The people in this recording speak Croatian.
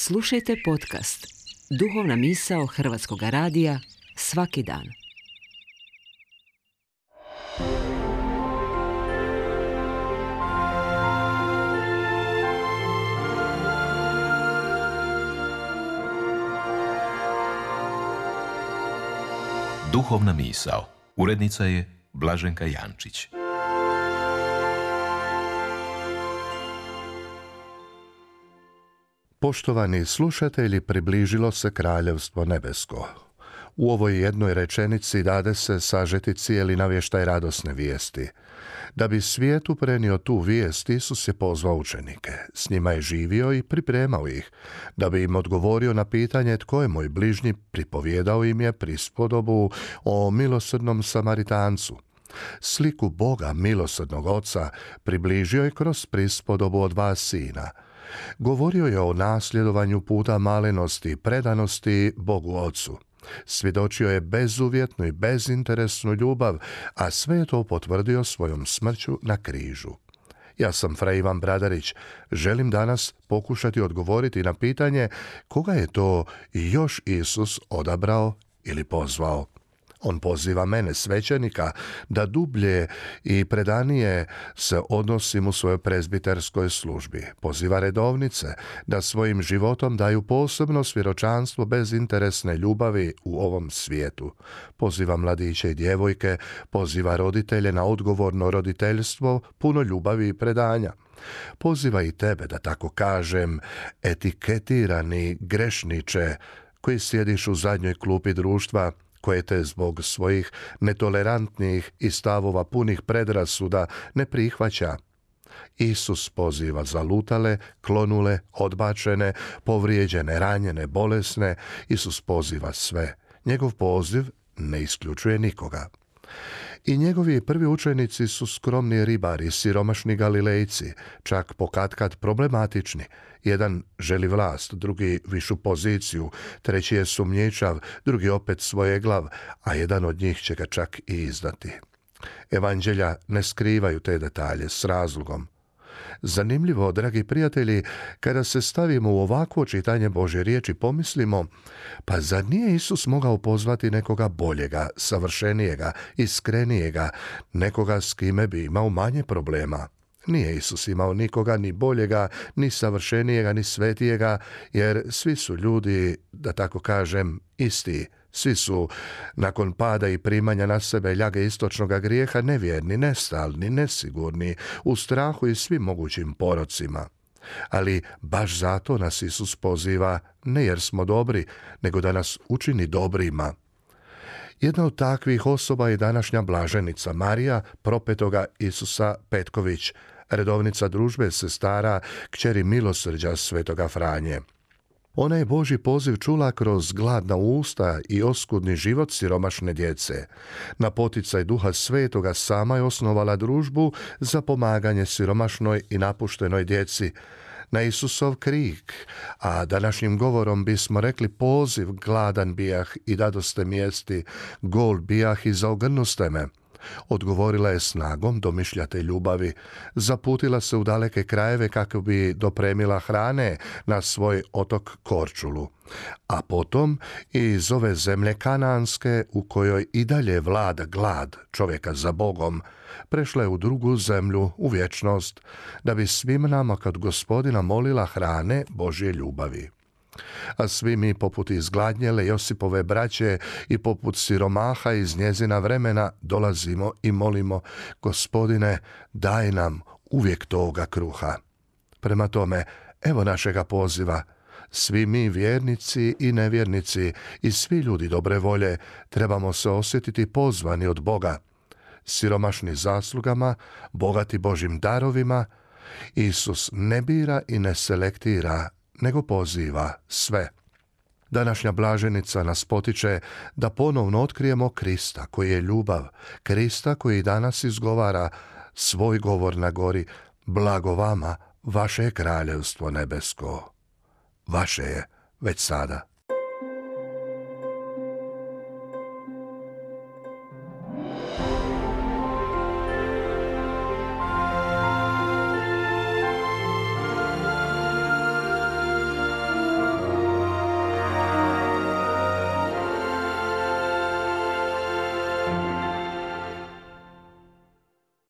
Slušajte podcast Duhovna misao Hrvatskog radija svaki dan. Duhovna misao. Urednica je Blaženka Jančić. Poštovani slušatelji, približilo se Kraljevstvo nebesko. U ovoj jednoj rečenici dade se sažeti cijeli navještaj radosne vijesti. Da bi svijetu prenio tu vijest, Isus je pozvao učenike. S njima je živio i pripremao ih. Da bi im odgovorio na pitanje tko je moj bližnji, pripovjedao im je prispodobu o milosrdnom Samaritancu. Sliku Boga, milosrdnog Oca, približio je kroz prispodobu o 2 sina. Govorio je o nasljedovanju puta malenosti i predanosti Bogu Ocu. Svjedočio je bezuvjetnu i bezinteresnu ljubav, a sve je to potvrdio svojom smrću na križu. Ja sam Fra Ivan Bradarić. Želim danas pokušati odgovoriti na pitanje koga je to još Isus odabrao ili pozvao. On poziva mene, svećenika, da dublje i predanije se odnosim u svojoj prezbiterskoj službi. Poziva redovnice da svojim životom daju posebno svjedočanstvo bezinteresne ljubavi u ovom svijetu. Poziva mladiće i djevojke, poziva roditelje na odgovorno roditeljstvo, puno ljubavi i predanja. Poziva i tebe, da tako kažem, etiketirani grešniče koji sjediš u zadnjoj klupi društva, koje te zbog svojih netolerantnih i stavova punih predrasuda ne prihvaća. Isus poziva zalutale, klonule, odbačene, povrijeđene, ranjene, bolesne. Isus poziva sve. Njegov poziv ne isključuje nikoga. I njegovi prvi učenici su skromni ribari, siromašni Galilejci, čak pokatkad problematični. Jedan želi vlast, drugi višu poziciju, treći je sumnjičav, drugi opet svojeglav, a jedan od njih će ga čak i izdati. Evanđelja ne skrivaju te detalje s razlogom. Zanimljivo, dragi prijatelji, kada se stavimo u ovakvo čitanje Božje riječi, pomislimo, pa zar nije Isus mogao pozvati nekoga boljega, savršenijega, iskrenijega, nekoga s kime bi imao manje problema? Nije Isus imao nikoga ni boljega, ni savršenijega, ni svetijega, jer svi su ljudi, da tako kažem, isti. Svi su, nakon pada i primanja na sebe ljage istočnog grijeha, nevjerni, nestalni, nesigurni, u strahu i svim mogućim porocima. Ali baš zato nas Isus poziva, ne jer smo dobri, nego da nas učini dobrima. Jedna od takvih osoba je današnja blaženica Marija, propetoga Isusa Petković, redovnica družbe sestara, kćeri milosrđa svetoga Franje. Ona je Božji poziv čula kroz gladna usta i oskudni život siromašne djece. Na poticaj Duha Svetoga sama je osnovala družbu za pomaganje siromašnoj i napuštenoj djeci. Na Isusov krik, a današnjim govorom bismo rekli poziv, gladan bijah i dadoste mi jesti, gol bijah i zaogrnuste me. Odgovorila je snagom domišljate ljubavi, zaputila se u daleke krajeve kako bi dopremila hrane na svoj otok Korčulu, a potom i iz ove zemlje kananske u kojoj i dalje vlada glad čovjeka za Bogom, prešla je u drugu zemlju, u vječnost, da bi svim nama kod Gospodina molila hrane Božje ljubavi. A svi mi poput izgladnjele Josipove braće i poput siromaha iz njezina vremena dolazimo i molimo, Gospodine, daj nam uvijek toga kruha. Prema tome, evo našega poziva. Svi mi vjernici i nevjernici i svi ljudi dobre volje trebamo se osjetiti pozvani od Boga. Siromašni zaslugama, bogati Božjim darovima, Isus ne bira i ne selektira, nego poziva sve. Današnja blaženica nas potiče da ponovno otkrijemo Krista koji je ljubav, Krista koji danas izgovara svoj govor na gori, blago vama, vaše je kraljevstvo nebesko. Vaše je već sada.